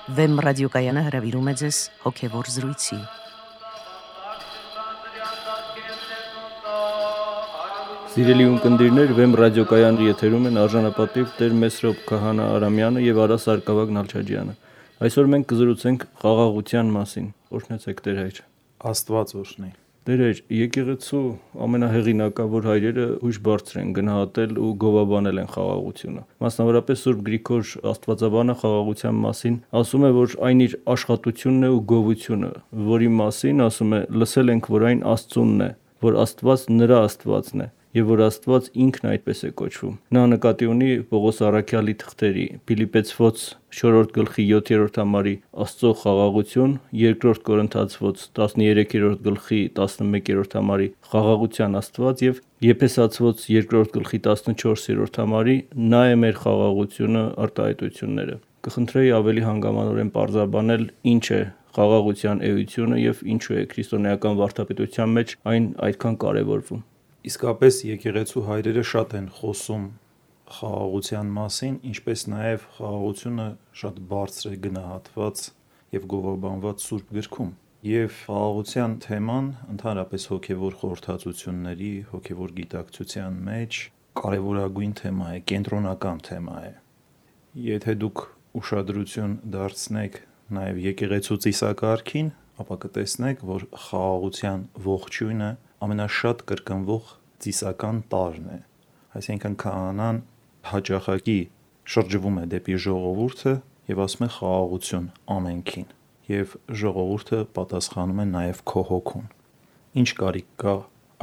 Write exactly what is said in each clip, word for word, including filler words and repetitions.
Վեմ ռադիոկայանը հրավիրում է ձեզ հոգևոր զրույցի։ Սիրելի ունկնդիրներ, Վեմ ռադիոկայանի եթերում են արժանապատիվ Տեր Մեսրոպ Քահանա Արամյանը եւ Արա Սարգսակ Նալչաջյանը։ Այսօր մենք կզրուցենք խաղաղության մասին։ Օրհնեցեք Տեր հայր։ Աստված օրհնի։ Տեր հայր, եկեղեցու ամենահեղինակավոր հայրերը հույժ բարձր են գնահատել ու գովաբանել են խաղաղությունը։ Մասնավորապես Սուրբ Գրիգոր Աստվածաբանը խաղաղության մասին ասում է, որ այն իր աշխատությունն է ու գովությունը, որի մասին ասում է՝ լսել ենք, որ այն Աստծունն է, որ Աստված նրա Աստվածն է, եւ որ Աստված ինքն այդպես է կոչվում։ Նա նկատի ունի Պողոս առաքյալի թղթերի Փիլիպպեցոց չորրորդ գլխի յոթերորդ համարի Աստծո խաղաղություն, երկրորդ Կորինթացոց տասներեքերորդ գլխի տասնմեկերորդ համարի խաղաղության Աստված եւ Եփեսացոց երկրորդ գլխի տասնչորսերորդ համարի նա է մեր խաղաղությունը արտահայտությունները։ Կխնդրեի ավելի հանգամանորեն պարզաբանել ինչ է խաղաղության էությունը եւ ինչու է քրիստոնեական վարդապետության մեջ այն այդքան կարեւորվում։ Իսկապես եկեղեցու հայրերը շատ են խոսում խաղաղության մասին, ինչպես նաև խաղաղությունը շատ բարձր է գնահատված եւ գովաբանված Սուրբ Գրքում։ Եվ խաղաղության թեման ընդհանրապես հոգևոր խորհրդածությունների, հոգևոր գիտակցության մեջ կարևորագույն թեմա է, կենտրոնական թեմա է։ Եթե դուք ուշադրություն դարձնեք նաև եկեղեցու ծիսակարգին, ապա կտեսնեք, որ խաղաղության ողջույնը ամենաշատ կրկնվող ծիսական տարրն է։ Այսինքն քահանան հաճախակի շրջվում է դեպի ժողովուրդը եւ ասում է խաղաղություն ամենքին, եւ ժողովուրդը պատասխանում է նաեւ քո հոգուն։ Ինչ կարիք կա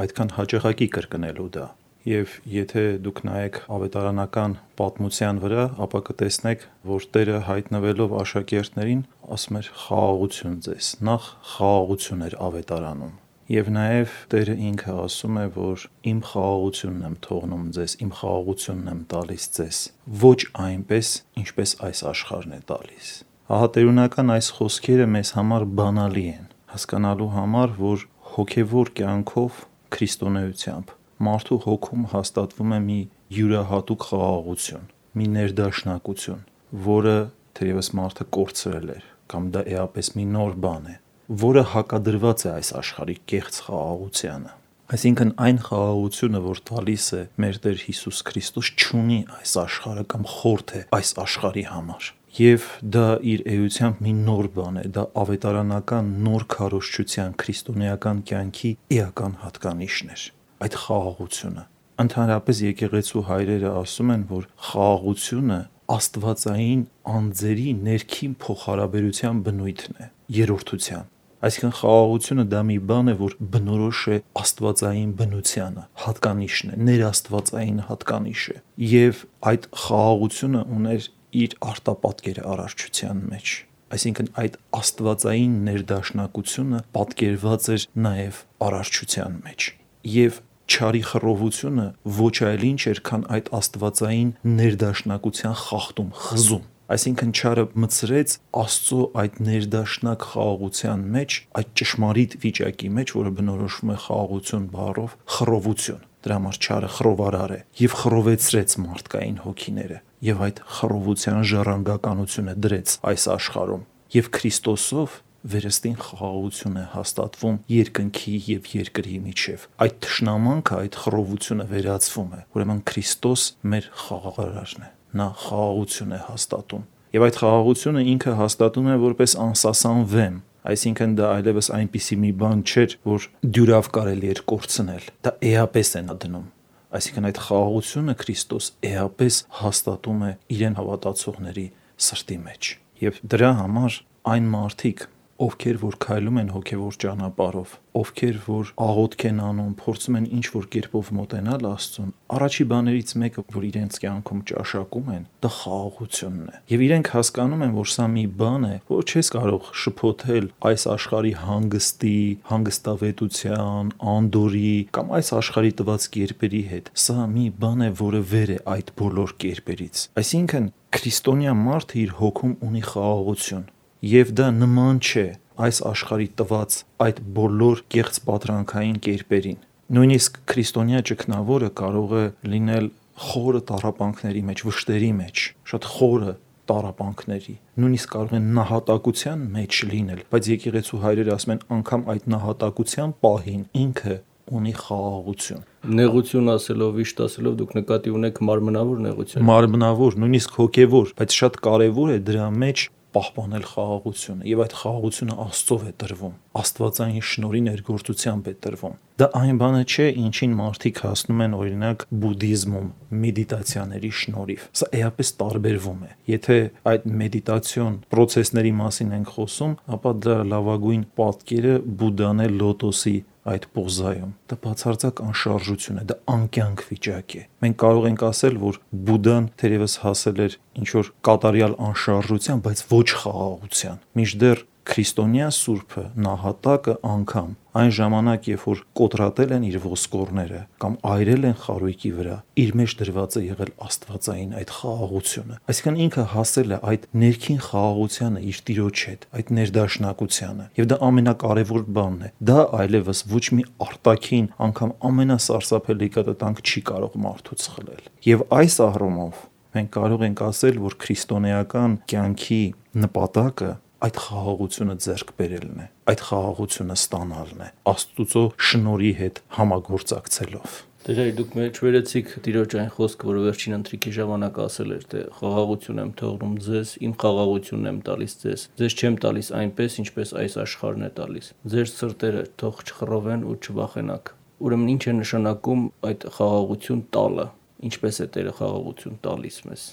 այդքան հաճախակի կրկնելու դա։ Եվ եթե դուք նայեք ավետարանական պատմության վրա, ապա կտեսնեք, որ Տերը հայտնվելով աշակերտներին ասում էր խաղաղություն ձեզ, նախ խաղաղություն էր ավետարանում։ Եվ նաև Տերը ինքը ասում է, որ իմ խաղաղությունն եմ թողնում ձեզ, իմ խաղաղությունն եմ տալիս ձեզ, ոչ այնպես, ինչպես այս աշխարհն է տալիս։ Ահա տերունական այս խոսքերը մեզ համար բանալի են, հասկանալու համար, որ հոգևոր կյանքով, քրիստոնեությամբ մարդու հոգում հաստատվում է մի յուրահատուկ խաղաղություն, մի ներդաշնակություն, որը թերևս մարդը կորցրել էր, կամ դա էապես մի նոր բան է, որը հակադրված է այս աշխարհի կեղծ խաղաղությանը։ Այսինքն այն խաղաղությունը, որ տալիս է մեր Տեր Հիսուս Քրիստոս, չունի այս աշխարհը կամ խորթ է այս աշխարհի համար։ Եվ դա իր էությամբ մի նոր բան է, դա ավետարանական նոր քարոզչության քրիստոնեական կյանքի էական հատկանիշն էր։ Այդ խաղաղությունը։ Ընդհանրապես եկեղեցու հայրերը ասում են, որ խաղաղությունը աստվածային անձերի ներքին փոխհարաբերության բնույթն է, երրորդության։ Այսինքն խաղաղությունը դա մի բան է, որ բնորոշ է աստվածային բնությանը, հատկանիշն է, ներաստվածային հատկանիշ է։ Եվ այդ խաղաղությունը ուներ իր արտապատկերը արարչության մեջ։ Այսինքն այդ աստվածային ներդաշնակությունը պատկերված էր նաև արարչության մեջ։ Եվ չարի խռովությունը ոչ այլ ինչ էր, քան այդ աստվածային ներդաշնակության խախտում, խզում։ Այսինքն չարը մտցրեց Աստծո այդ ներդաշնակ խաղաղության մեջ, այդ ճշմարիտ վիճակի մեջ, որը բնորոշվում է խաղաղություն բառով, խռովություն։ Դրա համար չարը խռովարար է եւ խռովեցրեց մարդկային հոգիները եւ այդ խռովության ժառանգականությունը դրեց այս աշխարհում։ Եվ Քրիստոսով վերստին խաղաղություն է հաստատվում երկնքի եւ երկրի միջև։ Այդ թշնամանքը, այդ խռովությունը վերացվում է։ Ուրեմն Քրիստոս մեր խաղաղարարն է։ Նա խաղաղություն է հաստատում։ Եվ այդ խաղաղությունը ինքը հաստատում է որպես անսասան վեմ։ Այսինքն դա այլևս այնպիսի մի բան չէր, որ դյուրավ կարելի էր կորցնել։ Դա էապես է նա դնում։ Այսինքն այդ խաղաղությունը Քրիստոս էապես հաստատում է իրեն հավատացողների սրտի մեջ։ Եվ դրա համար այն մարդիկ, ովքեր որ քայլում են հոգևոր ճանապարհով, ովքեր որ աղոթք են անում, փորձում են ինչ-որ կերպով մոտենալ Աստծուն, առաջի բաներից մեկը, որ իրենց կյանքում ճաշակում են, դա խաղաղությունն է։ Եվ իրենք հասկանում են, որ սա մի բան է, որ չես կարող շփոթել այս աշխարհի հանգստի, հանգստավետության, անդորի կամ այս աշխարհի տված կերպերի հետ։ Սա մի բան է, որը վեր է այդ բոլոր կերպերից։ Այսինքն քրիստոնյա մարդը իր հոգում ունի խաղաղություն։ Եվ դա նման չէ այս աշխարհի տված այդ բոլոր կեղծ պատրանքային կերպերին։ Նույնիսկ քրիստոնյա ճգնավորը կարող է լինել խորը տառապանքների մեջ, վշտերի մեջ, շատ խորը տառապանքների, նույնիսկ կարող են նահատակության մեջ լինել, բայց եկեղեցու հայրերը ասում են անգամ այդ նահատակության պահին ինքը ունի խաղաղություն։ Նեղություն ասելով, վիշտ ասելով դուք նկատի ունեք մարմնավոր նեղություն։ Մարմնավոր, նույնիսկ հոգևոր, բայց շատ կարևոր է դրա մեջ պահպանել խաղաղությունը, եւ այդ խաղաղությունը Աստծով է տրվում, Աստվածային շնորհի ներգործությամբ է տրվում։ Դա այն բանը չէ, ինչին մարդիկ հասնում են օրինակ բուդդիզմում մեդիտացիաների շնորհիվ։ Սա էապես տարբերվում է։ Եթե այդ մեդիտացիոն process-ների մասին ենք խոսում, ապա դա լավագույն պատկերը Բուդդան է լոտոսի այդ պոզայում։ Դա բացարձակ անշարժություն է, դա անկյանք վիճակ է։ Մենք կարող ենք ասել, որ Բուդդան թերևս հասել էր ինչ-որ կատարյալ անշարժության, բայց ոչ խաղաղության։ Մինչդեռ քրիստոնյա սուրբը, նահատակը անգամ այն ժամանակ, երբ որ կոտրատել են իր ոսկորները կամ այրել են խարույկի վրա, իր մեջ դրված է եղել աստվածային այդ խաղաղությունը։ Այսինքն ինքը հասել է այդ ներքին խաղաղությանը իր Տիրոջ հետ, այդ ներդաշնակությանը։ Եվ դա ամենակարևոր բանն է։ Դա այլևս ոչ մի արտաքին, անգամ ամենասարսափելի կտտանք չի կարող մարդուց խլել։ Եվ այս առումով մենք կարող ենք ասել, որ քրիստոնեական կյանքի նպատակը այդ խաղաղությունը ձեռք բերելն է, այդ խաղաղությունը ստանալն է, Աստծո շնորհի հետ համագործակցելով։ Դե դուք մեջ վերեցիք Տիրոջ այն խոսքը, որը վերջին ընթրիքի ժամանակ ասել էր, թե խաղաղություն եմ թողնում ձեզ, իմ խաղաղությունն եմ տալիս ձեզ։ Ձեզ չեմ տալիս այնպես, ինչպես այս աշխարհն է տալիս։ Ձեր սրտերը թող չխռովեն ու չվախենաք։ Ուրեմն ինչ է նշանակում այդ խաղաղություն տալը։ Ինչպես է Տերը խաղաղություն տալիս մեզ։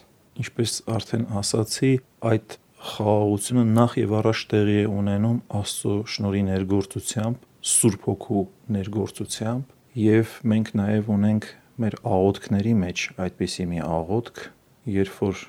Ինչպես արդեն ասացի, այդ խաղաղությունը նախ եւ առաջ տեղի է ունենում Աստծո շնորհի ներգործությամբ, Սուրբ Հոգու ներգործությամբ, եւ մենք նաեւ ունենք մեր աղոթքների մեջ այդպիսի մի աղոթք, երբ որ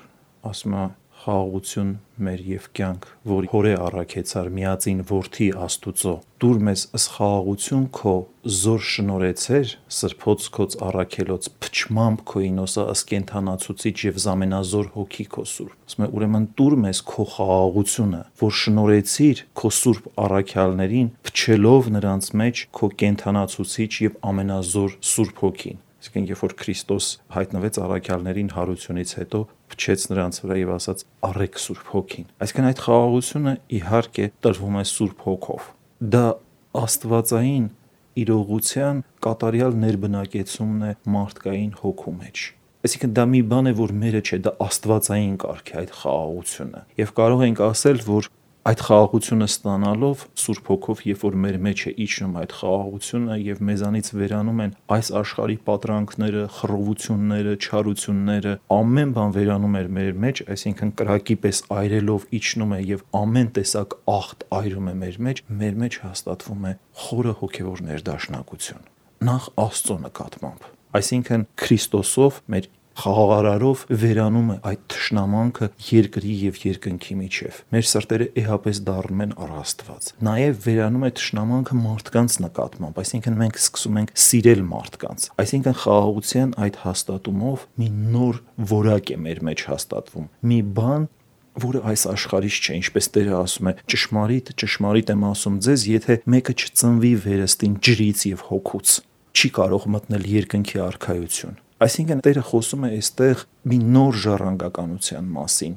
ասում է խաղաղություն մեր եւ կյանք, որ հորե առաքեցար միածին որդի Աստուծո, դուր մեզ ըս խաղաղություն քո զոր շնորհեցեր, սրբոց քոց առաքելոց փչմամբ քո ինոսա ըս կենթանացուցիչ եւ զամենազոր հոգի քո սուրբ։ Ասում է ուրեմն դուր մեզ քո խաղաղությունը, որ շնորհեցիր քո սուրբ առաքյալներին, փչելով նրանց մեջ քո կենթանացուցիչ եւ ամենազոր սուրբ հոգին։ Այսինքն երբ որ Քրիստոս հայտնվեց առաքյալներին հարությունից հետո, փչեց նրանց վրա եւ ասաց առեք Սուրբ Հոգին։ Այսինքն այդ խաղաղությունը իհարկե տրվում է Սուրբ Հոգով։ Դա աստվածային իրողության կատարյալ ներբնակեցումն է մարդկային հոգու մեջ։ Այսինքն դա մի բան է, որ մերը չէ, դա աստվածային կարգ է այդ խաղաղությունը։ Եվ կարող ենք ասել, որ այդ խաղաղությունը ստանալով Սուրբ Հոգով, երբ որ մեր մեջ է իջնում այդ խաղաղությունը եւ մեզանից վերանում են այս աշխարհի պատրանքները, խռովությունները, չարությունները, ամեն բան վերանում է մեր մեջ, այսինքն կրակի պես այրելով իջնում է եւ ամեն տեսակ աղտ այրում է մեր մեջ, մեր մեջ հաստատվում է խորը հոգեվոր ներդաշնակություն։ Նախ Աստծո նկատմամբ, այսինքն Քրիստոսով մեր խաղաղարարով վերանում է այդ թշնամանքը երկրի եւ երկնքի միջև։ Մեր սրտերը էհապես դառնում են առ Աստված։ Նաեւ վերանում է թշնամանքը մարդկանց նկատմամբ, այսինքն մենք սկսում ենք սիրել մարդկանց։ Այսինքն խաղաղության այդ հաստատումով մի նոր որակ է մեր մեջ հաստատվում։ Մի բան, որը այս աշխարհից չէ, ինչպես Տերը ասում է, ճշմարիտ, ճշմարիտ եմ ասում ձեզ, եթե մեկը չծնվի վերստին ջրից եւ հոգուց, չի կարող մտնել երկնքի արքայություն։ Այսինքն Տերը խոսում է այստեղ մի նոր ժառանգականության մասին,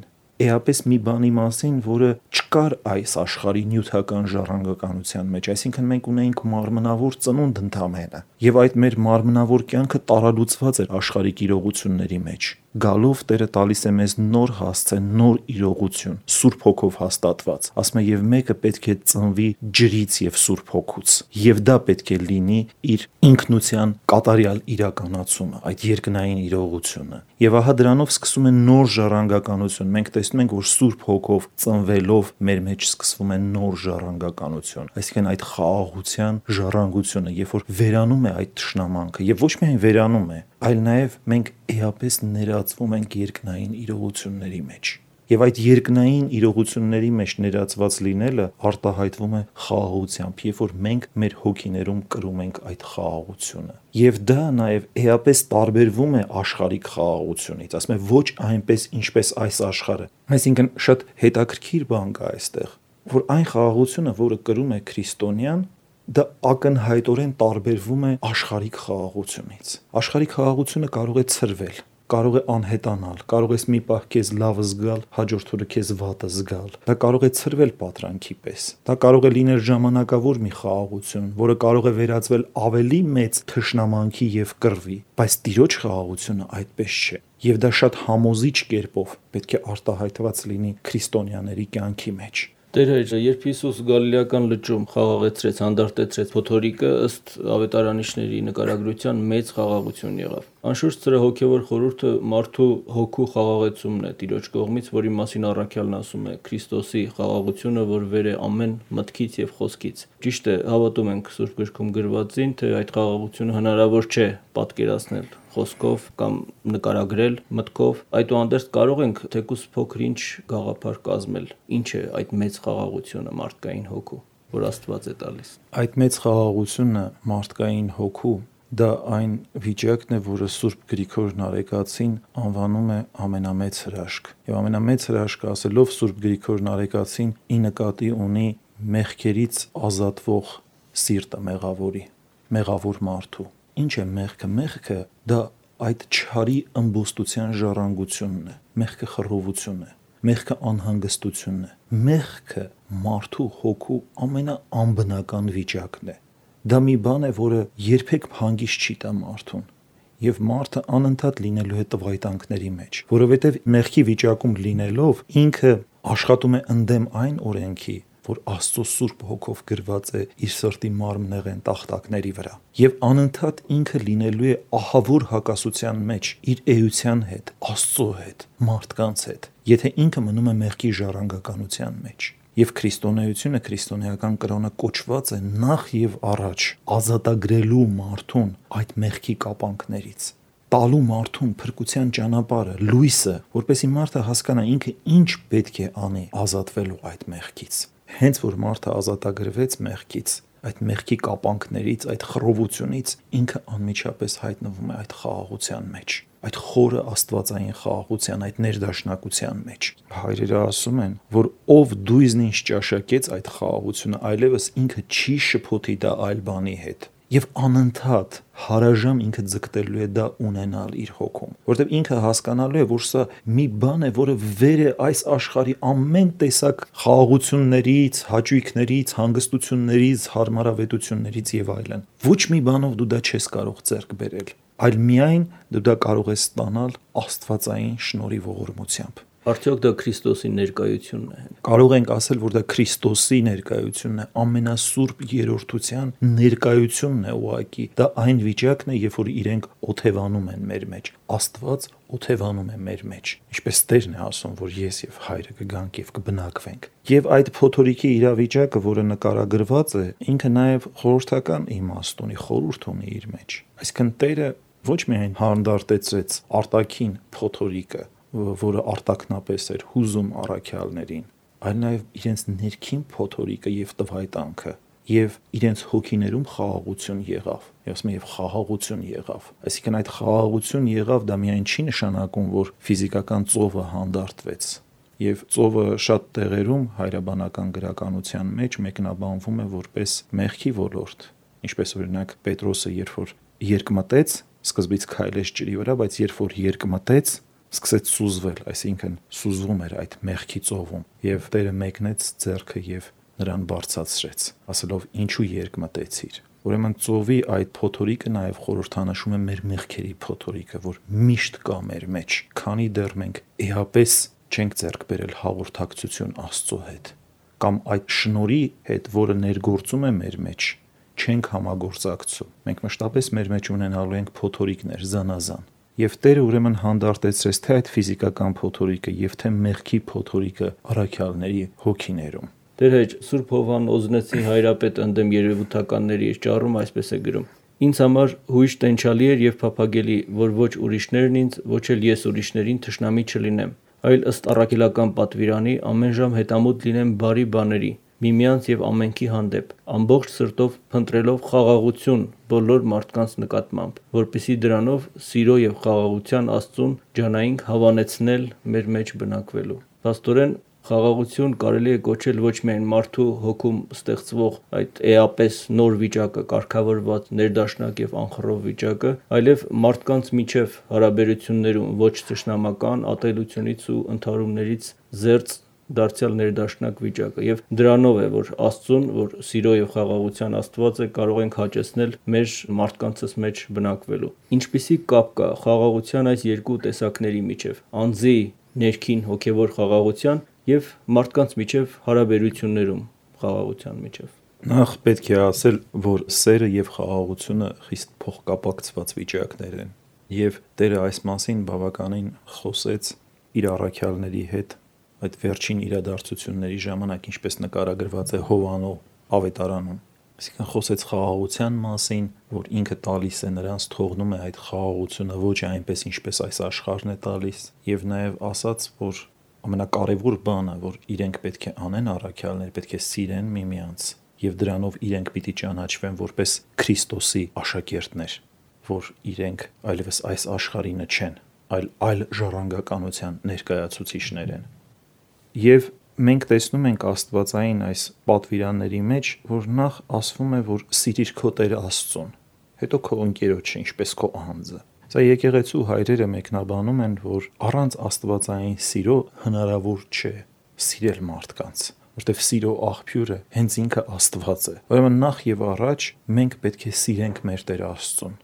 էապես մի բանի մասին, որը չկար այս աշխարհի նյութական ժառանգականության մեջ, այսինքն մենք ունեինք մարմնավոր ծնունդ ընդամենը, եւ այդ մեր մարմնավոր կյանքը տարալուծված էր աշխարհիկ իրողությունների մեջ։ Գալով Տերը տալիս է մեզ նոր հասցե, նոր իրողություն, Սուրբ Հոգով հաստատված։ Ասում է եւ մեկը պետք է ծնվի ջրից եւ Սուրբ Հոգուց, եւ դա պետք է լինի իր ինքնության կատարյալ իրականացումը, այդ երկնային իրողությունը։ Եվ ահա դրանով սկսում է նոր ժառանգականություն։ Մենք տեսնում ենք, որ Սուրբ Հոգով ծնվելով մեր մեջ սկսվում է նոր ժառանգականություն, այսինքն այդ խաղաղության ժառանգությունը, երբ որ վերանում է այդ թշնամանքը, եւ ոչ միայն վերանում է, այլ նաեւ մենք էապես ներածվում ենք երկնային իրողությունների մեջ։ Եվ այդ երկնային իրողությունների մեջ ներածված լինելը արտահայտվում է խաղաղությամբ, երբ որ մենք մեր հոգիներում կրում ենք այդ խաղաղությունը։ Եվ դա նաև էապես տարբերվում է աշխարհիկ խաղաղությունից, ասում է ոչ այնպես, ինչպես այս աշխարհը։ Այսինքն շատ հետաքրքիր բան կա այստեղ, որ այն խաղաղությունը, որը կրում է քրիստոնյան, դա ակնհայտորեն տարբերվում է աշխարհիկ խաղաղությունից։ Աշխարհիկ խաղաղությունը կարող է ցրվել, կարող է անհետանալ, կարող ես մի պահ քեզ լավը զգալ, հաջորդ օրը քեզ վատը զգալ։ Դա կարող է ցրվել պատրանքի պես։ Դա կարող է լինել ժամանակավոր մի խաղաղություն, որը կարող է վերածվել ավելի մեծ թշնամանքի եւ կռվի, բայց Տիրոջ խաղաղությունը այդպես չէ։ Եվ դա շատ համոզիչ կերպով պետք է արտահայտված լինի քրիստոնյաների կյանքի մեջ։ Տեր Հայր, երբ Հիսուս Գալիլեական լճում խաղաղեցրեց, հանդարտեցրեց փոթորիկը, ըստ ավետարանիչների նկարագրության մեծ խաղաղություն եղավ։ Անշուշտ սրա հոգևոր խորհուրդը մարդու հոգու խաղաղեցումն է Տիրոջ կողմից, որի մասին առաքյալն ասում է Քրիստոսի խաղաղությունը, որ վեր է ամեն մտքից եւ խոսքից։ Ճիշտ է, հավատում ենք Սուրբ Գրքում գրվածին, թե այդ խաղաղությունը հնարավոր չէ պատկերացնել խոսքով կամ նկարագրել մտքով, այդուհանդերձ կարող ենք թեկուզ փոքր-ինչ գաղափար կազմել, ինչ է այդ մեծ խաղաղությունը մարդկային հոգու, որ Աստված է տալիս։ Այդ մեծ խաղաղությունը մարդկային հոգու դա այն վիճակն է, որը Սուրբ Գրիգոր Նարեկացին անվանում է ամենամեծ հրաշք։ Եվ ամենամեծ հրաշքը ասելով Սուրբ Գրիգոր Նարեկացին ի նկատի ունի մեղքերից ազատվող սիրտը մեղավորի, մեղավոր մարդու։ Ինչ է մեղքը։ Մեղքը դա այդ չարի ըմբոստության ժառանգությունն է, մեղքը խռովություն է, մեղքը անհանգստությունն է, մեղքը մարդու հոգու ամենաանբնական վիճակն է։ Դա մի բան է, որը երբեք հանգիստ չի տա մարդուն, եւ մարդը անընդհատ լինելու է տվայտանքների մեջ, որովհետեւ մեղքի վիճակում լինելով ինքը աշխատում է ընդդեմ այն օրենքի, որ Աստծո Սուրբ Հոգով գրված է իր սրտի մարմնեղեն տախտակների վրա, եւ անընդհատ ինքը լինելու է ահավոր հակասության մեջ իր էության հետ, Աստծո հետ, մարդկանց հետ, եթե ինքը մնում է մեղքի ժառանգականության մեջ։ Եվ քրիստոնեությունը, քրիստոնեական կրոնը կոչված է նախ եւ առաջ ազատագրելու մարդուն այդ մեղքի կապանքներից, տալու մարդուն փրկության ճանապարհը, լույսը, որպեսզի մարդը հասկանա ինքը ինչ պետք է անի ազատվելու այդ մեղքից։ Հենց որ մարդը ազատագրվեց մեղքից, այդ մեղքի կապանքներից, այդ խռովությունից, ինքը անմիջապես հայտնվում է այդ խաղաղության մեջ, այդ խորը աստվածային խաղաղության, այդ ներդաշնակության մեջ։ Հայրերը ասում են, որ ով դույզն ինչ ճաշակեց այդ խաղաղությունը, այլևս ինքը չի շփոթի դա այլ բանի հետ։ Եվ անընդհատ հարաժամ ինքը ձգտելու է դա ունենալ իր հոգում, որտեղ ինքը հասկանալու է, որ սա մի բան է, որը վեր է այս աշխարհի ամեն տեսակ խաղաղություններից, հաճույքներից, հանգստություններից, հարմարավետություններից եւ այլն։ Ոչ մի բանով դու դա չես կարող ձեռք բերել, այլ միայն դու դա կարող ես ստանալ աստվածային շնորհի ողորմությամբ։ Արդյոք դա Քրիստոսի ներկայությունն է։ Կարող ենք ասել, որ դա Քրիստոսի ներկայությունն է, ամենասուրբ երրորդության ներկայությունն է ուղղակի։ Դա այն վիճակն է, երբ որ իրենք օթևանում են մեր մեջ։ Աստված օթևանում է մեր մեջ։ Ինչպես Տերն է ասում, որ ես եւ Հայրը կգանք եւ կբնակվենք։ Եվ այդ փոթորիկի իրավիճակը, որը նկարագրված է, ինքը նաեւ խորհրդական իմաստ ունի, խորհուրդ ունի իր մեջ։ Այսինքն Տերը ոչ միայն հանդարտեցրեց արտաքին փոթորիկը, որը արտակնապես էր հուզում առաքյալներին, այլ նաև իրենց ներքին փոթորիկը եւ տվայտանքը եւ իրենց հոգիներում խաղաղություն եղավ։ Ասում եմ, եւ խաղաղություն եղավ։ Այսինքն այդ խաղաղություն եղավ, դա միայն չի նշանակում, որ ֆիզիկական ծովը հանդարտվեց։ Եվ ծովը շատ տեղերում հայրաբանական գրականության մեջ մեկնաբանվում է որպես մեղքի ոլորտ, ինչպես օրինակ Պետրոսը, երբ որ երկմտեց, սկզբից քայլեց ջրի վրա, բայց երբ որ երկմտեց, սկսեց սուզվել, այսինքն սուզվում էր այդ մեղքի ծովում, եւ Տերը մեկնեց ձեռքը եւ նրան բարձրացրեց, ասելով ինչու երկմտեցիր։ Ուրեմն ծովի այդ փոթորիկը նաեւ խորհրդանշում է մեր մեղքերի փոթորիկը, որ միշտ կա մեր մեջ, քանի դեռ մենք էապես չենք ձեռք բերել հաղորդակցություն Աստծո հետ, կամ այդ շնորհի հետ, որը ներգործում է մեր մեջ, չենք համագործակցում։ Մենք մշտապես մեր մեջ ունենալու ենք փոթորիկներ զանազան։ Եվ Տերը ուրեմն հանդարտեցրեց թե այդ ֆիզիկական փոթորիկը եւ թե մեղքի փոթորիկը առաքյալների հոգիներում։ Տեր Հայր, Սուրբ Հովհան Օզնեցի հայրապետ ընդդեմ երևութականների իր ճառում այսպես է գրում. Ինձ համար հույժ տենչալի էր եւ փափագելի, որ ոչ ուրիշներն ինձ, ոչ էլ ես ուրիշներին թշնամի չլինեմ, այլ ըստ առաքելական պատվիրանի ամեն ժամ հետամուտ լինեմ բարի բաների, միմյանց եւ ամենքի հանդեպ, ամբողջ սրտով փնտրելով խաղաղություն բոլոր մարդկանց նկատմամբ, որպեսզի դրանով սիրո եւ խաղաղության Աստծուն ջանայինք հավանեցնել մեր մեջ բնակվելու։ Փաստորեն Խաղաղություն կարելի է կոչել ոչ միայն մարդու հոգում ստեղծվող այդ էապես նոր վիճակը, կարգավորված ներդաշնակ եւ անխռով վիճակը, այլև մարդկանց միջև հարաբերություններում ոչ թշնամական ատելությունից ու ընդհարումներից զերծ դարձյալ ներդաշնակ վիճակը, եւ դրանով է, որ Աստծուն, որ սիրո եւ խաղաղության Աստված է, կարող ենք հաճեցնել մեր մարդկանցս մեջ բնակվելու։ Ինչպիսի կապ կա խաղաղության այս երկու տեսակների միջև՝ անձի ներքին հոգեվոր խաղաղության եւ մարդկանց միջև հարաբերություններում խաղաղության միջև։ Նախ պետք է ասել, որ սերը եւ խաղաղությունը խիստ փոխկապակցված վիճակներ են, եւ Տերը այս մասին բավականին խոսեց իր առաքյալների հետ այդ վերջին իրադարձությունների ժամանակ, ինչպես նկարագրված է Հովանու ավետարանում։ Այսինքն խոսեց խաղաղության մասին, որ ինքը տալիս է նրանց, թողնում է այդ խաղաղությունը ոչ այնպես, ինչպես այս աշխարհն է տալիս, եւ նաեւ ասաց, որ ամենակարևոր բանը, որ իրենք պետք է անեն առաքյալներ, պետք է սիրեն միմյանց, եւ դրանով իրենք պիտի ճանաչվեն որպես Քրիստոսի աշակերտներ, որ իրենք այլևս այս աշխարհինը չեն, այլ այլ ժառանգականության ներկայացուցիչներ են։ Եվ մենք տեսնում ենք աստվածային այս պատվիրանների մեջ, որ նախ ասվում է, որ սիրիր քո Տեր Աստծուն, հետո քո ընկերոջը, ինչպես քո անձը։ Սա եկեղեցու հայրերը մեկնաբանում են, որ առանց աստվածային սիրո հնարավոր չէ սիրել մարդկանց, որտեղ սիրո աղբյուրը հենց ինքը Աստված է։ Ուրեմն նախ եւ առաջ մենք պետք է սիրենք մեր Տեր Աստծուն։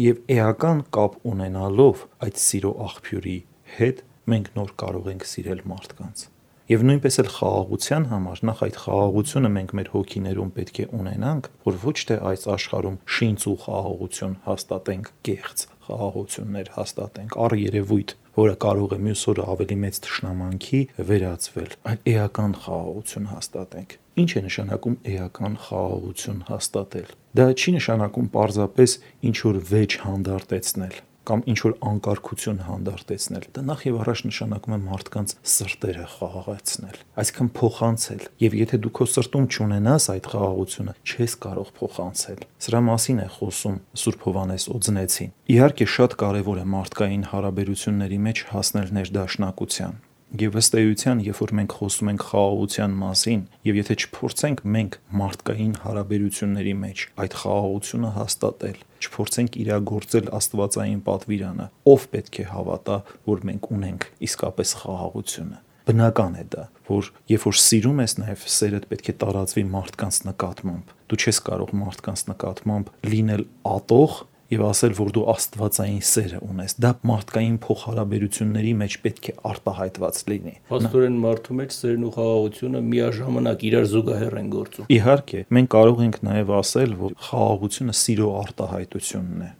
Եվ էական կապ ունենալով այդ սիրո աղբյուրի հետ մենք նոր կարող ենք սիրել մարդկանց։ Եվ նույնպես էլ խաղաղության համար նախ այդ խաղաղությունը մենք մեր հոգիներում պետք է ունենանք, որ ոչ թե այս աշխարհում շինծ ու խաղաղություն հաստատենք, կեղծ խաղաղություններ հաստատենք, առ երևույթ, որը կարող է մյուս օրը ավելի մեծ թշնամանքի վերածվել, այլ էական խաղաղություն հաստատենք։ Ինչ է նշանակում էական խաղաղություն հաստատել։ Դա չի նշանակում պարզապես ինչ որ վեճ հանդարտեցնել կամ ինչ որ անկարգություն հանդարտեցնել։ Դա նախ եւ առաջ նշանակում է մարդկանց սրտերը խաղաղեցնել, այսինքն փոխանցել։ Եվ եթե դու քո սրտում չունենաս այդ խաղաղությունը, չես կարող փոխանցել։ Սրա մասին է խոսում Սուրբ Հովհաննես Օձնեցին։ Իհարկե շատ կարեւոր է մարդկային հարաբերությունների մեջ հասնել ներդաշնակության։ Եվ ըստ էության, երբ որ մենք խոսում ենք խաղաղության մասին, եւ եթե չփորձենք մենք մարդկային հարաբերությունների մեջ այդ խաղաղությունը հաստատել, չփորձենք իրագործել աստվածային պատվիրանը, ով պետք է հավատա, որ մենք ունենք իսկապես խաղաղությունը։ Բնական է դա, որ երբ որ սիրում ես, նաև սերդ պետք է տարածվի մարդկանց նկատմամբ։ Դու չես կարող մարդկանց նկատմամբ լինել ատող եւ ասել, որ դու աստվածային սերը ունես։ Դա մարդկային փոխհարաբերությունների մեջ պետք է արտահայտված լինի։ Փաստորեն մարդու մեջ սերն ու խաղաղությունը միաժամանակ իրար զուգահեռ են գործում։ Իհարկե, մենք կարող ենք նաեւ ասել, որ խաղաղությունը սիրո արտահայտությունն է։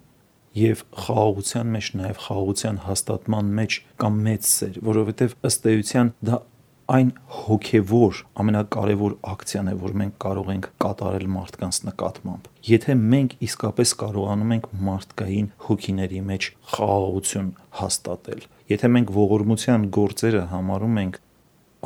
Եվ խաղաղության մեջ նաև խաղաղության հաստատման մեջ կա մեծ սեր, որովհետև ըստ էության դա այն հոգևոր ամենակարևոր ակցիան է, որ մենք կարող ենք կատարել մարդկանց նկատմամբ։ Եթե մենք իսկապես կարողանում ենք մարդկային հոգիների մեջ խաղաղություն հաստատել, եթե մենք ողորմության գործերը համարում ենք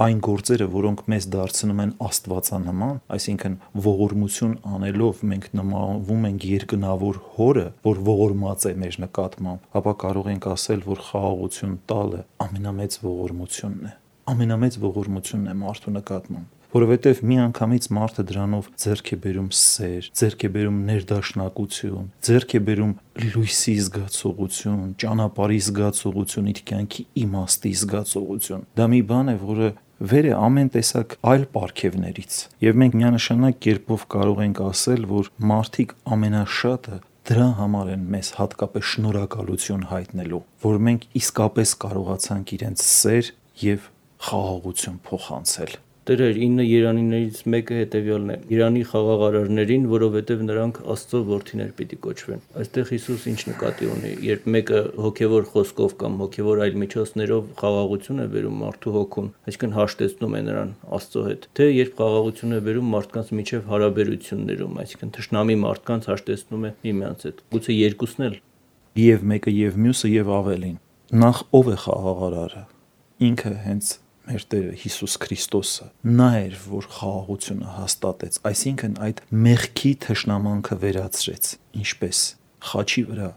այն գործերը, որոնք մեզ դարձնում են աստվածանման, այսինքն ողորմություն անելով մենք նմանվում ենք երկնավոր հորը, որ ողորմած է մեր նկատմամբ, ապա կարող ենք ասել, որ խաղաղություն տալը ամենամեծ ողորմությունն է։ Ամենամեծ ողորմությունն է մարդու նկատմամբ, որովհետև միանգամից մարդը դրանով ձեռք է բերում սեր, ձեռք է բերում ներդաշնակություն, ձեռք է բերում լույսի զգացողություն, ճանապարհի զգացողություն, իր կյանքի իմաստի զգացողություն։ Դա մի բան է, որը վեր է ամեն տեսակ այլ պարգևներից, եւ մենք միանշանակ կերպով կարող ենք ասել, որ մարդիկ ամենաշատը դրա համար են մեզ հատկապես շնորհակալություն հայտնելու, որ մենք իսկապես կարողացանք իրենց սեր եւ խաղաղություն փոխանցել։ Տերեր, ինը երանիներից մեկը հետևյալն է. Իրանի խաղաղարարներին, որովհետև նրանք Աստծո որդիներ պիտի կոչվեն։ Այստեղ Հիսուս ինչ նկատի ունի, երբ մեկը հոգևոր խոսքով կամ հոգևոր այլ միջոցներով խաղաղություն է բերում մարդու հոգուն, այսինքն հաշտեցնում է նրան Աստծո հետ, թե երբ խաղաղություն է բերում մարդկանց միջև հարաբերություններում, այսինքն թշնամի մարդկանց հաշտեցնում է միմյանց հետ։ Գուցե երկուսն էլ։ Եվ մեկը եւ մյուսը եւ ավելին։ Նախ ով է խաղաղարարը։ Ինքը հենց մեր Տերը Հիսուս Քրիստոսը, նա էր, որ խաղաղությունը հաստատեց, այսինքն այդ մեղքի թշնամանքը վերացրեց, ինչպես խաչի վրա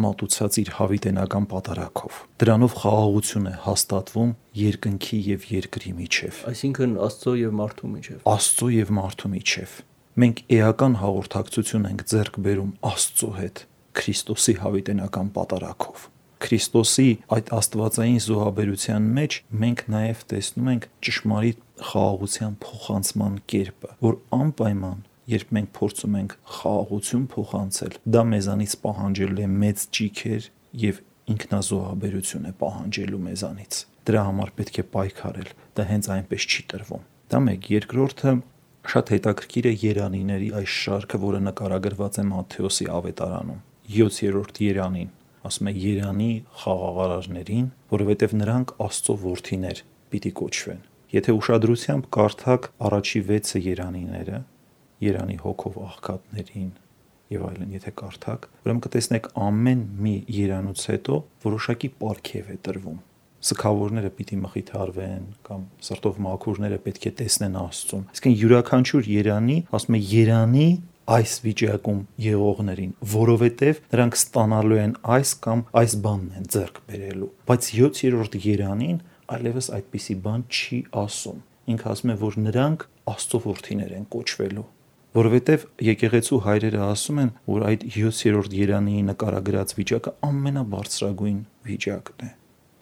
մատուցած իր հավիտենական պատարագով։ Դրանով խաղաղություն է հաստատվում երկնքի եւ երկրի միջև։ Այսինքն Աստծո եւ մարդու միջև։ Աստծո եւ մարդու միջև։ Մենք էական հաղորդակցություն ենք ձեռք բերում Աստծո հետ Քրիստոսի հավիտենական պատարագով։ Քրիստոսի այդ աստվածային զոհաբերության մեջ մենք նաև տեսնում ենք ճշմարիտ խաղաղության փոխանցման կերպը, որ անպայման, երբ մենք փորձում ենք խաղաղություն փոխանցել, դա մեզանից պահանջելու է մեծ ճիգեր եւ ինքնազոհաբերություն է պահանջելու մեզանից։ Դրա համար պետք է պայքարել, դա հենց այնպես չի տրվում։ Դա մեկ, երկրորդը շատ հետաքրքիր է երանիների այս շարքը, որը նկարագրված է Մատթեոսի ավետարանում, յոթերորդ երանին, ասում է երանի խաղաղարարներին, որովհետև նրանք Աստծո որդիներ պիտի կոչվեն։ Եթե ուշադրությամբ կարդաք առաջի վեցը երանիները, երանի հոգով աղքատներին եւ այլն, եթե կարդաք, ուրեմն կտեսնեք ամեն մի երանուց հետո որոշակի պարգև է տրվում։ Սքավորները պիտի մխիթարվեն կամ սրտով մաքուրները պետք է տեսնեն Աստծուն։ Այսինքն յուրաքանչյուր երանի, ասում է երանի այս վիճակում եղողներին, որովհետև նրանք ստանալու են այս կամ այս բանն են ձեռք բերելու։ Բայց յոթերորդ երանին այլևս այդպիսի բան չի ասում։ Ինքը ասում է, որ նրանք Աստծո որդիներ են կոչվելու, որովհետև եկեղեցու հայրերը ասում են, որ այդ յոթերորդ երանի նկարագրած վիճակը ամենաբարձրագույն վիճակն է։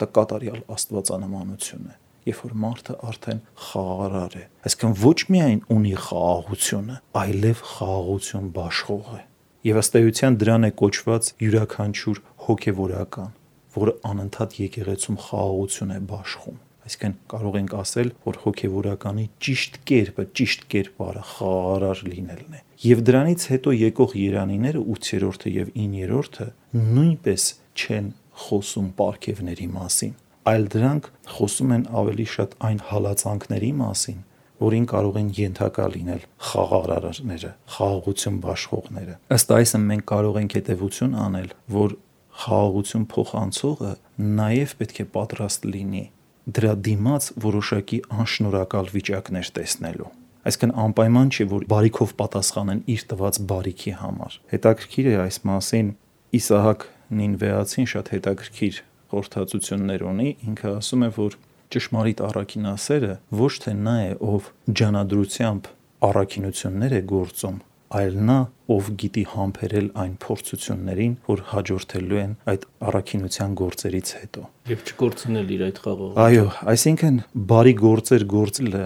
Դա կատարյալ աստվածանմանություն է, երբ որ մարդը արդեն խաղաղարար է, այսինքն ոչ միայն ունի խաղաղությունը, այլև խաղաղություն բաշխող է։ Եվ ըստ էության դրան է կոչված յուրաքանչյուր հոգևորական, որը անընդհատ եկեղեցում խաղաղություն է բաշխում։ Այսինքն կարող ենք ասել, որ հոգևորականի ճիշտ կերպը, ճիշտ կերպարը խաղաղարար լինելն է։ Եվ դրանից հետո եկող երանիները ութերորդը եւ իններորդը նույնպես չեն խոսում պարգևների մասին, այլ դրանք խոսում են ավելի շատ այն հալածանքների մասին, որին կարող են ենթակա լինել խաղաղարարները, խաղաղություն բաշխողները։ Ըստ այսը մենք կարող ենք հետևություն անել, որ խաղաղություն փոխանցողը նաև պետք է պատրաստ լինի դրա դիմաց որոշակի անշնորհակալ վիճակներ տեսնելու։ Այսինքն անպայման չէ, որ բարիքով պատասխանեն իր տված բարիքի համար։ Հետաքրքիր է այս մասին Իսահակ Նինվեացին շատ հետաքրքիր խորհրդածություններ ունի, ինքը ասում է, որ ճշմարիտ առաքինասերը ոչ թե նա է, ով ջանադրությամբ առաքինություններ է գործում, այլ նա, ով գիտի համբերել այն փորձություններին, որ հաջորդելու են այդ առաքինության գործերից հետո։ Եվ չկորցնել իր այդ խաղաղությունը։ Այո, այսինքն բարի գործեր գործելը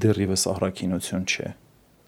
դեռևս առաքինություն չէ։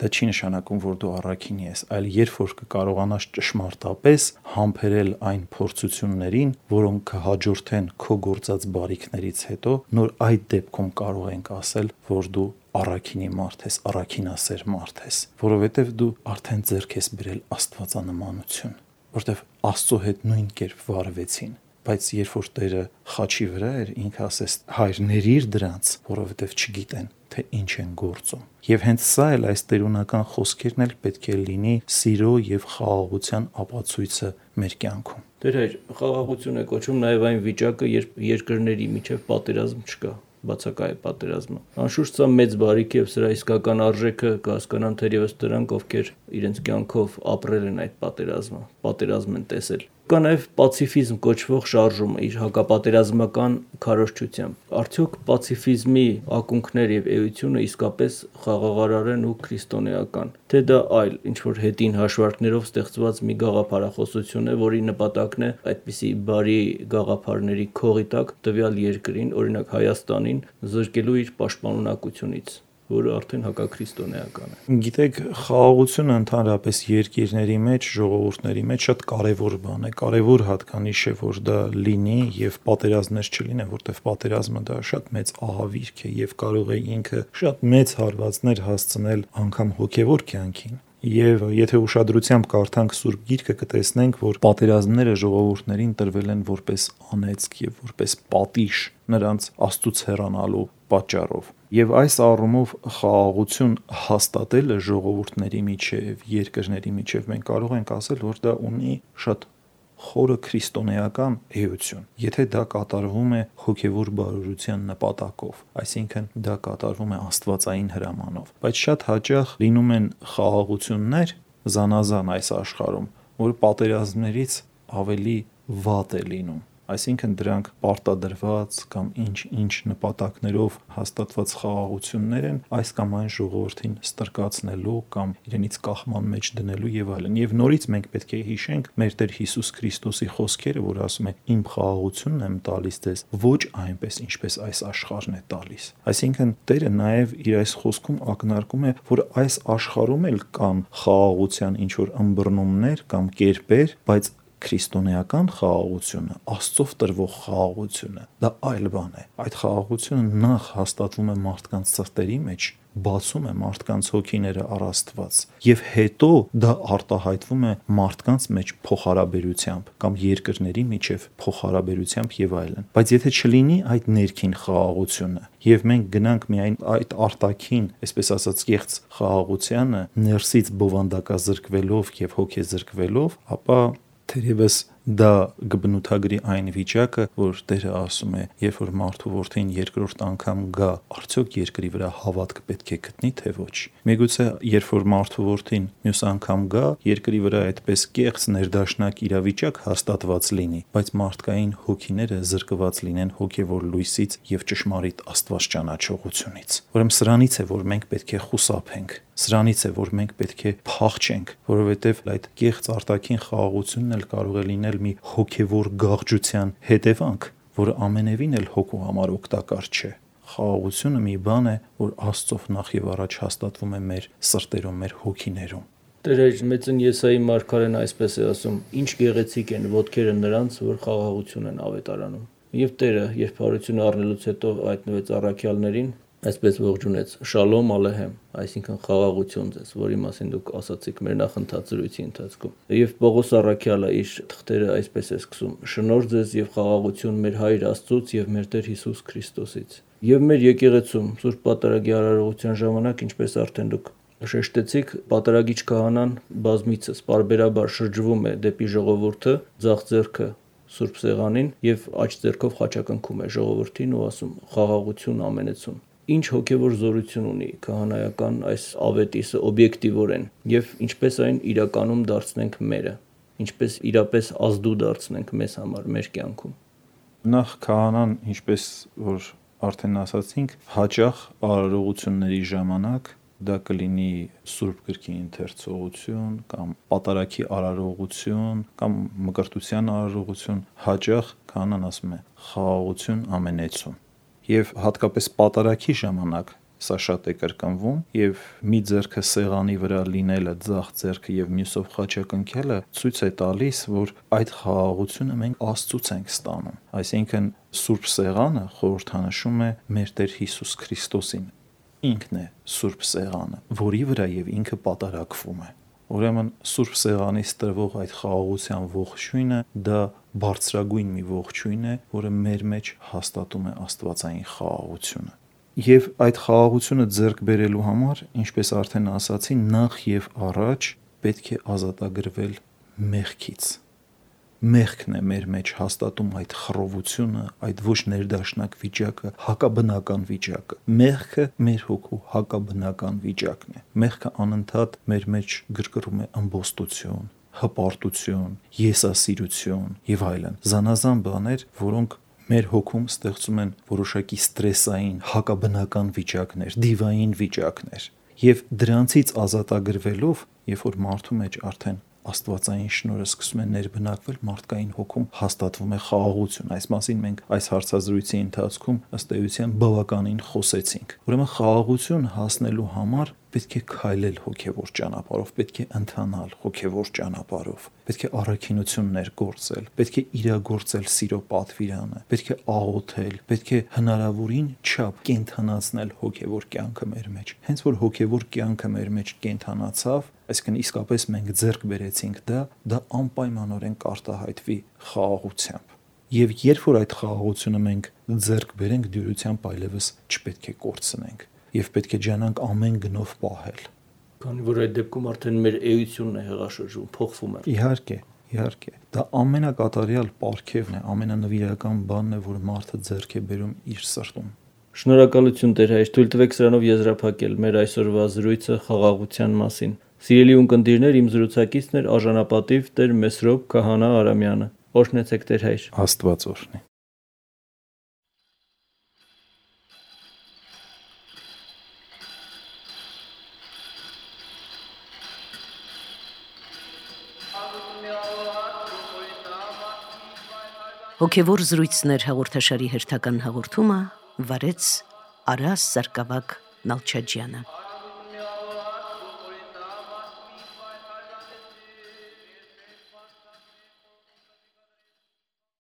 Դա չի նշանակում, որ դու առաքինի ես, այլ երբ որ կկարողանաս ճշմարտապես համբերել այն փորձություններին, որոնք կհաջորդեն քո գործած բարիքներից հետո, նոր այդ դեպքում կարող ենք ասել, որ դու առաքինի մարդ ես, առաքինասեր մարդ ես, որովհետև դու արդեն ձեռք ես բերել աստվածանմանություն, որտեվ Աստծո հետ նույն կերպ վարվեցին։ Բայց երբ որ Տերը խաչի վրա էր, ինքը ասեց. «Հայր, ներիր դրանց, որովհետև չգիտեն, թե ինչ են գործում»։ Եվ հենց սա էլ այս տերունական խոսքերն էլ պետք է լինի սիրո եւ խաղաղության ապացույցը մեր կյանքում։ Տեր հայր, խաղաղություն է կոչում նաև այն վիճակը, երբ երկրների միջև պատերազմ չկա, բացակա է պատերազմը։ Անշուշտ սա մեծ բարիք է եւ սրա իսկական արժեքը կհասկանան թերևս դրանք, ովքեր իրենց կյանքով ապրել են այդ պատերազմը, պատերազմ են տեսել։ Կա նաև պացիֆիզմ կոչվող շարժումը իր հակապատերազմական քարոզչությամբ։ Արդյոք պացիֆիզմի ակունքներ եւ էությունը իսկապես խաղաղարար են ու քրիստոնեական, թե դա այլ ինչ որ հետին հաշվարկներով ստեղծված մի գաղափարախոսություն է, որի նպատակն է այդպիսի բարի գաղափարների քողի տակ տվյալ երկրին, օրինակ Հայաստանին, զրկելու իր պաշտպանունակությունից, որը արդեն հակաքրիստոնեական է։ Գիտեք, խաղաղությունը ընդհանրապես երկիրների մեջ, ժողովուրդների մեջ շատ կարևոր բան է, կարևոր հատկանիշ է, որ դա լինի եւ պատերազմներ չլինեն, որտեղ պատերազմը դա շատ մեծ ահավիրք է եւ կարող է ինքը շատ մեծ հարվածներ հասցնել անգամ հոգեվոր կյանքին։ Եվ եթե ուշադրությամբ կարդանք Սուրբ Գիրքը, կտեսնենք, որ պատերազմները ժողովուրդներին տրվել են որպես անեծք եւ որպես պատիժ նրանց Աստծուց հեռանալու պատճառով։ Եվ այս առումով խաղաղություն հաստատելը ժողովուրդների միջև, երկրների միջև մենք կարող ենք ասել, որ դա ունի շատ խորը քրիստոնեական էություն, եթե դա կատարվում է հոգևոր բարօրության նպատակով, այսինքն դա կատարվում է աստվածային հրամանով։ Բայց շատ հաճախ լինում են խաղաղություններ զանազան այս աշխարհում, որ պատերազմներից ավելի վատ է լինում։ Այսինքն դրանք պարտադրված կամ ինչ-ինչ նպատակներով հաստատված խաղաղություններ են այս կամ այն ժողովրդին ստրկացնելու կամ իրենից կախման մեջ դնելու եւ այլն։ Եվ նորից մենք պետք է հիշենք մեր Տեր Հիսուս Քրիստոսի խոսքերը, որ ասում է. «Իմ խաղաղությունն եմ տալիս ձեզ, ոչ այնպես, ինչպես այս աշխարհն է տալիս»։ Այսինքն Տերը նաեւ իր այս խոսքում ակնարկում է, որ այս աշխարհում էլ կան խաղաղության ինչ որ ըմբռնումներ կամ կերպեր, բայց քրիստոնեական խաղաղությունը, Աստծով տրվող խաղաղությունը, դա այլ բան է։ Այդ խաղաղությունը նախ հաստատվում է մարդկանց սրտերի մեջ, բացում է մարդկանց հոգիները առ Աստված, եւ հետո դա արտահայտվում է մարդկանց մեջ փոխհարաբերությամբ կամ երկրների միջև փոխհարաբերությամբ եւ այլն։ Բայց եթե չլինի այդ ներքին խաղաղությունը, եւ մենք գնանք միայն այդ արտաքին, այսպես ասած, կեղծ խաղաղությանը, ներսից բովանդակազրկվելով եւ հոգեզրկվելով, ապա թերևս դա կբնութագրի այն վիճակը, որ Տերը ասում է, երբ որ մարդու որդին երկրորդ անգամ գա, արդյոք երկրի վրա հավատք պետք է գտնի, թե ոչ։ Միգուցե երբ որ մարդու որդին մյուս անգամ գա, երկրի վրա այդպես կեղծ ներդաշնակ իրավիճակ հաստատված լինի, բայց մարդկային հոգիները զրկված լինեն հոգևոր լույսից եւ ճշմարիտ Աստված ճանաչողությունից։ Ուրեմն սրանից է, որ մենք պետք է խուսափենք։ Սրանից է, որ մենք պետք է փախչենք, որովհետև այդ կեղծ արտաքին խաղաղությունն էլ կարող է լինել մի հոգևոր գաղջության հետևանք, որը ամենևին էլ հոգու համար օգտակար չէ։ Խաղաղությունը մի բան է, որ Աստծով նախ եւ առաջ հաստատվում է մեր սրտերում, մեր հոգիներում։ Տեր մեծն Եսայի մարգարեն այսպես է ասում. «Ինչ գեղեցիկ են ոտքերը նրանց, որ խաղաղություն են ավետարանում»։ Եվ Տերը, երբ հարություն առնելուց հետո հայտնվեց առաքյալներին, այսպես ողջունեց. «Շալոմ ալեհեմ», այսինքն խաղաղություն ձեզ, որի մասին դուք ասացիք մեր նախընթաց զրույցի ընթացքում։ Եվ Պողոս առաքյալը իր թղթերը այսպես է սկսում. «Շնորհ ձեզ եւ խաղաղություն մեր Հայր Աստծուց եւ մեր Տեր Հիսուս Քրիստոսից»։ Եվ մեր եկեղեցում Սուրբ Պատարագի արարողության ժամանակ, ինչպես արդեն դուք շեշտեցիք, Պատարագիչ քահանան բազմիցս պարբերաբար շրջվում է դեպի ժողովուրդը, ձախ ձեռքը Սուրբ Սեղանին եւ աջ ձեռքով խաչակնքում է ժողովրդին ու ասում. «Խաղաղություն ամենեցուն»։ Ինչ հոգևոր զորություն ունի քահանայական այս ավետիսը օբյեկտիվորեն եւ ինչպես այն իրականում դարձնենք մերը, ինչպես իրապես ազդու դարձնենք մեզ համար, մեր կյանքում։ Նախ քահանան, ինչպես որ արդեն ասացինք, հաճախ արարողությունների ժամանակ դա կլինի Սուրբ գրքի ընթերցողություն կամ պատարագի արարողություն կամ մկրտության արարողություն, հաճախ քահանան ասում է խաղաղություն ամենեցուն։ Եվ հատկապես պատարագի ժամանակ սա շատ է կրկնվում, եւ մի ձեռքը սեղանի վրա լինելը, ձախ ձեռքը եւ մյուսով խաչակնքելը ցույց է տալիս, որ այդ խաղաղությունը մենք Աստծուց ենք ստանում։ Այսինքն Սուրբ Սեղանը խորհրդանշում է մեր Տեր Հիսուս Քրիստոսին։ Ինքն է Սուրբ Սեղանը, որի վրա եւ ինքը պատարագվում է։ Ուրեմն Սուրբ Սեղանից տրվող այդ խաղաղության ողջույնը դա բարձրագույն մի ողջույն է, որը մեր մեջ հաստատում է աստվածային խաղաղությունը։ Եվ այդ խաղաղությունը ձեռք բերելու համար, ինչպես արդեն ասացի, նախ եւ առաջ պետք է ազատագրվել մեղքից։ Մեղքն է մեր մեջ հաստատում այդ խռովությունը, այդ ոչ ներդաշնակ վիճակը, հակաբնական վիճակը։ Մեղքը մեր հոգու հակաբնական վիճակն է։ Մեղքը անընդհատ մեր մեջ գրգռում է ըմբոստություն, հպարտություն, եսասիրություն եւ այլն։ Զանազան բաներ, որոնք մեր հոգում ստեղծում են որոշակի ստրեսային, հակաբնական վիճակներ, դիվային վիճակներ։ Եվ դրանցից ազատագրվելով, երբ որ մարդու մեջ արդեն աստվածային շնորհը սկսում է ներբնակվել, մարդկային հոգում հաստատվում է խաղաղություն։ Այս մասին մենք այս հարցազրույցի ընթացքում ըստ էության բավականին խոսեցինք։ Ուրեմն խաղաղություն հասնելու համար պետք է քայլել հոգևոր ճանապարհով, պետք է ընթանալ հոգևոր ճանապարհով, պետք է առաքինություններ գործել, պետք է իրագործել սիրո պատվիրանը, պետք է աղոթել, պետք է հնարավորին չափ կենթանացնել հոգևոր կյանքը մեր մեջ։ Հենց որ հոգևոր կյանքը մեր մեջ կենթանացավ, այսինքն իսկապես մենք ձեռք բերեցինք դա, դա անպայմանորեն կարտահայտվի խաղաղությամբ։ Եվ երբ որ այդ խաղաղությունը մենք ձեռք բերենք, դյուրությամբ այլևս չպետք է կորցնենք եւ պետք է ջանանք ամեն գնով պահել։ Քանի որ այդ դեպքում արդեն մեր էությունն է հեղաշրջում, փոխվում է։ Իհարկե, իհարկե։ Դա ամենակատարյալ պարգևն է, ամենանվիրական բանն է, որ մարդը ձեռք է բերում իր սրտում։ Շնորհակալություն Տեր Հայր, թույլ տվեք սրանով եզրափակել մեր այսօրվա զրույցը խաղաղության մասին։ Սիրելի ունկնդիրներ, իմ զրուցակիցն էր արժանապատիվ Տեր Մեսրոպ Քահանա Արամյանը։ Օրհնեցեք Տեր Հայր։ Աստված օրհնի։ Հոգևոր զրույցներ հաղորդաշարի հերթական հաղորդումը վարեց Արաս Սարգսակ Նալչաջյանը։